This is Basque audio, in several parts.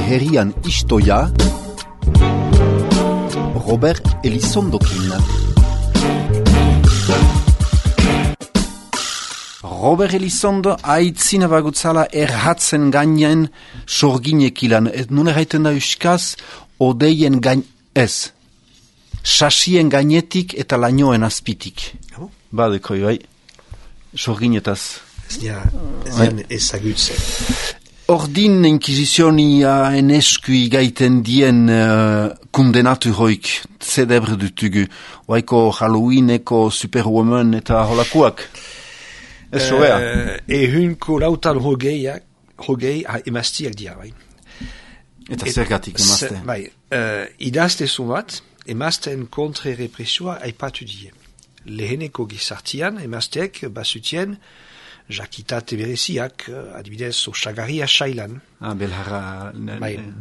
herrian istoia Robert Elizondokin. Robert Elizondo aitzina bagutzala erhatzen gainean sorginek ilan. Nun erraiten da euskaz, odeien gain ez. Sasien gainetik eta lainoen azpitik. Badekoi, bai. Sorginetaz. Ez dian ezagutzen. Ordin inkizizionia eneskui gaiten dien kundenatu hoik zedebre dutugu. Oaiko Halloweeneko Superwoman eta holakuak. Ez sobea. Ehunko lautan hogei emaztiak dira, bai. Eta zergatik emazte. Bai, idaztezun bat, emazten kontre represioa aipatu die. Leheneko gizartian, emazteek bazutien jakitate bereziak, adibidez, osagarria sailan.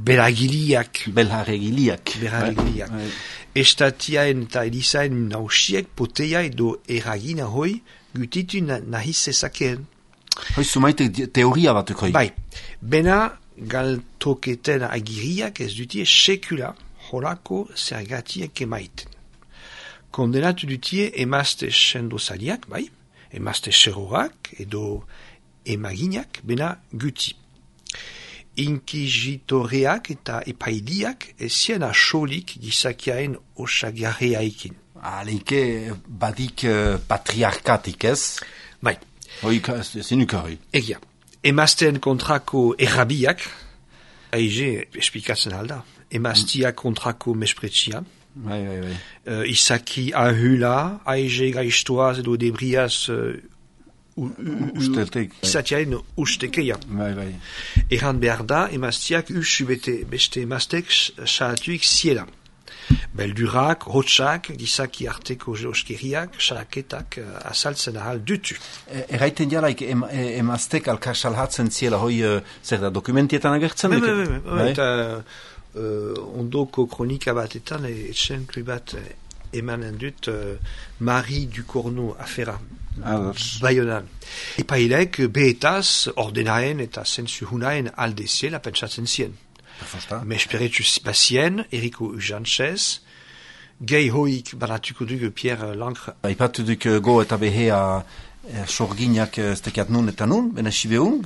Belharregiliak. Estatiaen eta elizaen nausiek poteia edo eragina hoi gutitu nahiz ezakeen. Hoi sumaite teoria batuk hoi. Bai, bena galtoketen agiriak ez dutie sekula holako zergatiek emaiten. Kondenatu dutie emazte sendozaliak, bai, emazte serorak edo emaginak, bena guti. Inkizitoreak eta epailiak ezien asolik gizakiaen osagarriaikin. Aleike badik patriarkatik ez? Bai. Hoi zinuka hoi. Egia. Emazten kontrako errabiak, aize esplikatzen alda. Emaztiak kontrako mespretsia. Bai. Izaki ahula, aize gaiztoaz edo debriaz izatiaen ustekeia. Bai. Erran behar da, emaztiak beste emaztek salatuik ziela. Beldurak, hotxak, gizaki arteko oskeriak, salaketak azaltzen ahal dutu. Erraiten jalaik emaztek alka salhatzen ziela hoi zer da dokumentietan agertzen? Bai. Eta ondoko kronika batetan etxenklu bat emanen dut Marie Ducorneau afera. Baionan. Epailek behetaz ordenaen eta zensuhunaen alde ziela pentsatzen zien. Mesperetu bazien, Eriko Ujanchez, gehi hoik banatuko dugu Pierre Lancre. Aipatu duk go eta behea sorginak stekiat nun eta nun, bena sibeun,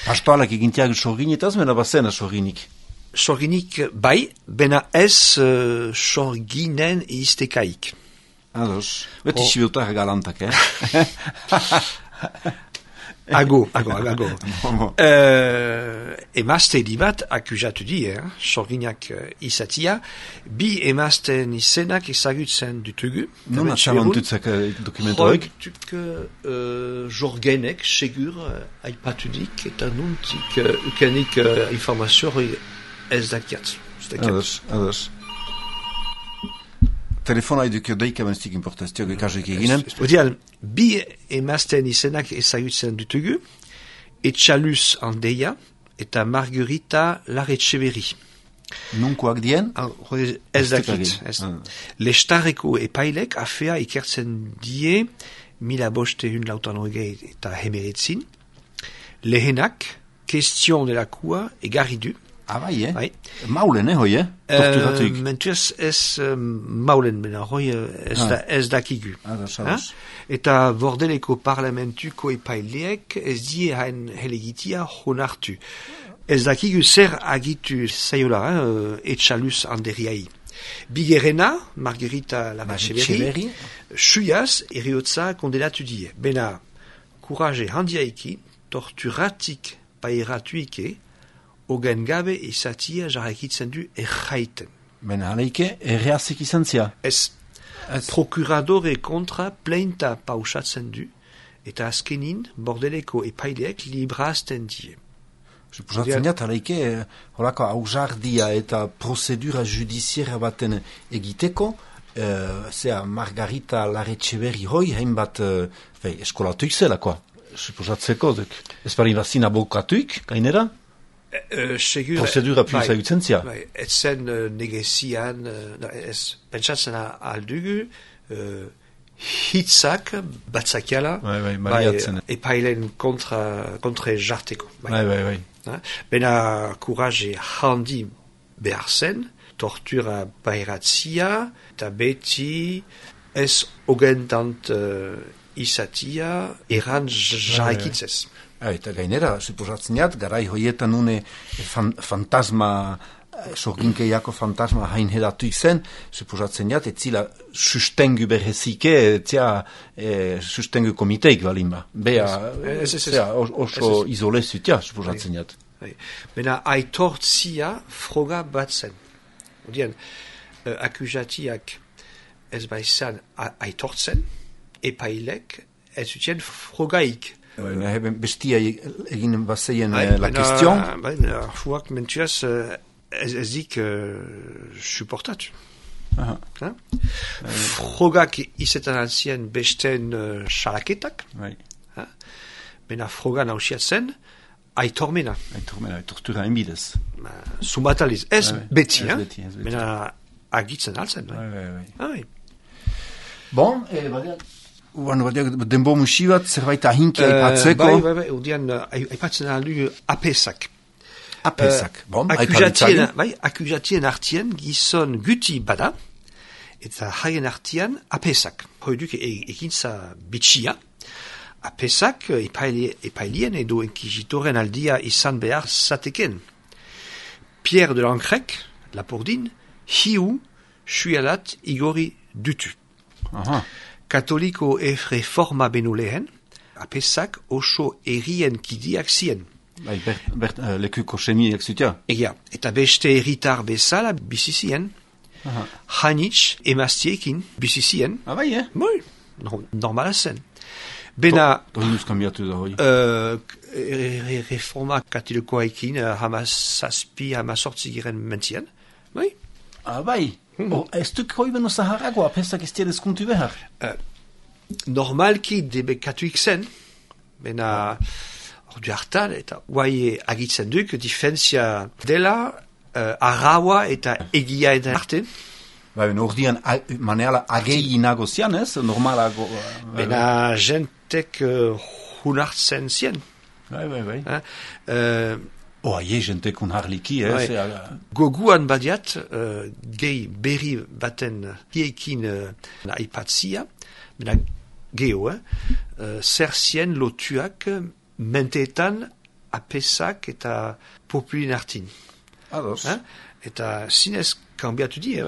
pastoalak egintiak sorginetaz, bena bazena sorginik. Sorginik bai, bena ez sorginen iztekaik. Ados, beti sibeutar galantak, Ago. Emazte bat akuzatu die, sorginak izatia, bi emazten izenak ezagutzen dutugu. Non atxamantutzak dokumentoik? Jorgenek, segur, aipatudik, eta nuntik ukenik informazio ez dakiat. Ados. Telefona eduk deika benstik importazioak ekazek eginen. Odial, bi emazten izenak ezagutzen dutugu, Etxaluz Andeia eta Margarita Larretxeberi. Nunkoak dien? Ez dakit. Lestarreko epailek afea ikertzen die 1500 eta hemeretzin. Lehenak, Question de la Cour egarri du. Bai, Bai. Maulen, hoi, torturatuik. Mentuaz ez maulen, bena, hoi ez dakigu. Eta bordeleko parlamentuko epaileek ez die hain helegitia honartu. Ez dakigu zer agitu zaiola, Etxaluz Anderiai. Bigerena, Margarita Larretxeberi, suiaz eriotza kondenatu die. Bena, kuraje handiaiki, torturatik pairatuike, ogen gabe izatia jarrakitzen du erraiten. Bena, aleike, erreazik izan zia? Ez. Prokuradore kontra pleinta pausatzen du, eta azkenin bordeleko epaileek librazten die. Suposatzen diat, aleike, horako hausardia eta prozedura judiziera baten egiteko, zera Margarita Larretxeberi hoi, hainbat eskolatuik zelakoa. Suposatzeko, ez bari bazin abokatuik, gainera? Prozedura pulsa egutzen etzen negezian, pentsatzen aldugu, hitzak batzakiala, baliatzen. Epailen kontra jarteko. Bai. Bena courage handi behar zen, tortura bairatzia, eta beti ez ogentant izatia eran jarraikitzez. Eta gainera, suposatzen garai hoietan une fantasma, sorginkeiako fantasma hain hedatu izen, suposatzen ez zila sustengu berrezike, etzia sustengu komiteik balimba. Bea, oso izolezutia, suposatzen ez. Bena aitortzia froga bat zen. Odien, akuzatiak ez baizan aitortzen, epailek ez zutien frogaik. Bestia egin bazeien la question. Fuak mentuaz ez dik supportatu. Frogak izetan alzien besten salaketak. Bena froga nausiatzen aitormena. Tortura enbidez. Sumataliz. Ez beti. Bena agitzen alzen. Bon, denbo musi bat zerbait ahinki aipatzeko. Bai, udian aipatzen aldu apesak. Apesak, bon, aipalitzari. Akuzatien artien gizon guti bada, eta haien artian apesak. Hoiduk ekintza bitxia. Apesak epailien edo enkizitoren aldia izan behar zateken. Pierre de Lancrec, Lapordin, hiu suialat igori dutu. Katoliko reforma benu lehen, apesak oso errien kidiak zien. Lekuko semiak zutia. Egia, eta beste erritar bezala bizizien, hanitz emaztiekin bizizien. Bai, Bai, normala zen. Bena... Tohinuz kambiatu da hoi. Reforma katoliko-aikin hamazazpi, hamazortzi giren mentzien. Bai? Bai. Ez duk hoi beno zaharago, apesak ez tiedez kuntu behar. Normalki debe katuik zen, bena ordu hartan, eta guai agitzen duk, difentzia dela, arraua eta egia eta arte. Ordian maneala agei nagozian, ez? Normalago... Bena jentek hunartzen zien. Bai. Aie jentek hunarliki, ez? Goguan badiat, gehi berri baten hiekin aipatzia, bena geho, zer zien lotuak menteetan apesak eta populin artin. Ados. Eta zinez kambiatu di,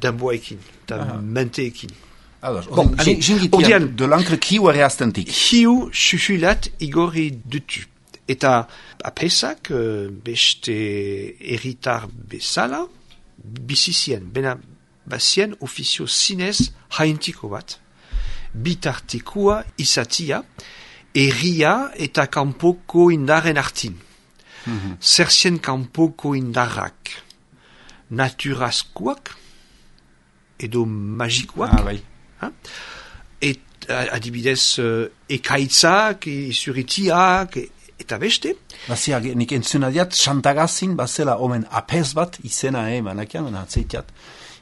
denboekin, eta menteekin. Ados. Odian, de Lancrec hiu ereaztentik. Hiu susulat igori dutu. Eta apesak beste erritar bezala bizizien. Bena bazien ofizio zinez haintiko bat. Bitartekua izatia, erria eta kanpoko indaren artin. Zerzien kanpoko indarrak naturazkoak edo magikoak. Adibidez ekaitzak, zuritiak, eta beste. Bazia, nik entzunadiat, Xantagazin, bazela omen apez bat, izena manakian, atzeitiat.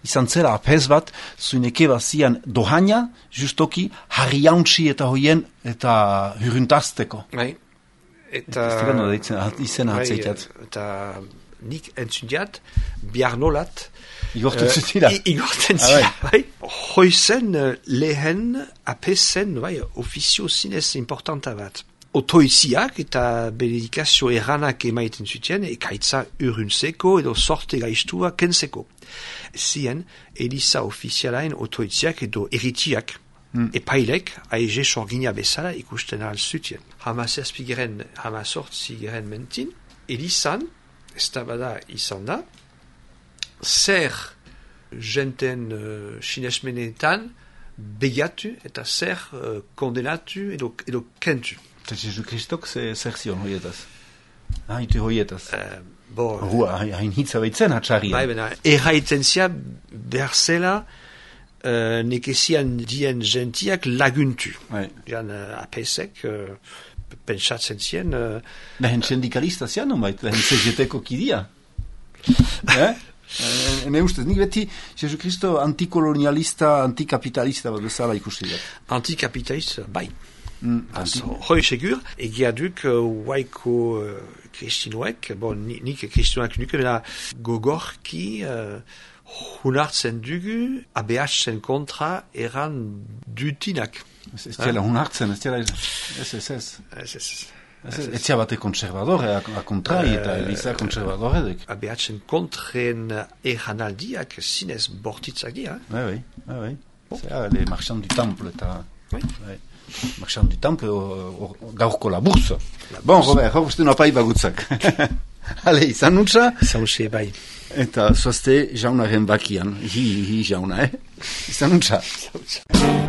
Izan zela apez bat, zuineke bazian dohaina, justoki, harriauntzi eta hoien, eta hurruntazteko. Bai. Eta... izena atzeitiat. Eta nik entzundiat, biarnolat, igorten zutila. Igorten zila, bai. Hoizen lehen apezen, bai, ofizio zinez importanta bat. Otoiziak eta benedikazio erranak emaiten zuten, ekaitza urruntzeko edo sorte gaiztua kentzeko. Zien, Eliza ofizialain otoiziak edo eritiak, epailek, aize sorgina bezala ikusten ahal zuten. Hamazazpigeren, hamazortzigeren mentin, Elizan, ez da bada izan da, zer jenten sinesmenetan begatu eta zer kondenatu edo kentu. Eta Jesu Kristok zer zion hoietaz? Haitu hoietaz? Hain hitza behitzen hatxarrian. Bai, bena, erraiten zia behar zela nekezian dien gentiak laguntu. Jan apesek pentsatzen zien... Lehen sindikalista zian, lehen CGT-ko kidia. Ne ustez, nik beti Jesu Kristo antikolonialista, antikapitalista bat bezala ikusi dut. Antikapitalista, bai. Hoi segur, egia duk waiko kristinoek, bon, nik kristinoek nuke, mena gogorki hunartzen dugu, ABH-en kontra eran dutinak. Ez tiela hunartzen, ez tiela ez tia bate konservadore, a kontrai eta eliza konservadoredek. ABH-en kontren eranaldiak zinez bortitzak dira. Oui. Les marchands du temple, marchands du temple, gaurko la bourse. Bon, Robert, hau uste nopai bagutzak. Ale, izan nutza? Zauzea bai. Eta zoazte jaunaren bakian, hi jauna, izan nutza? Zauzea.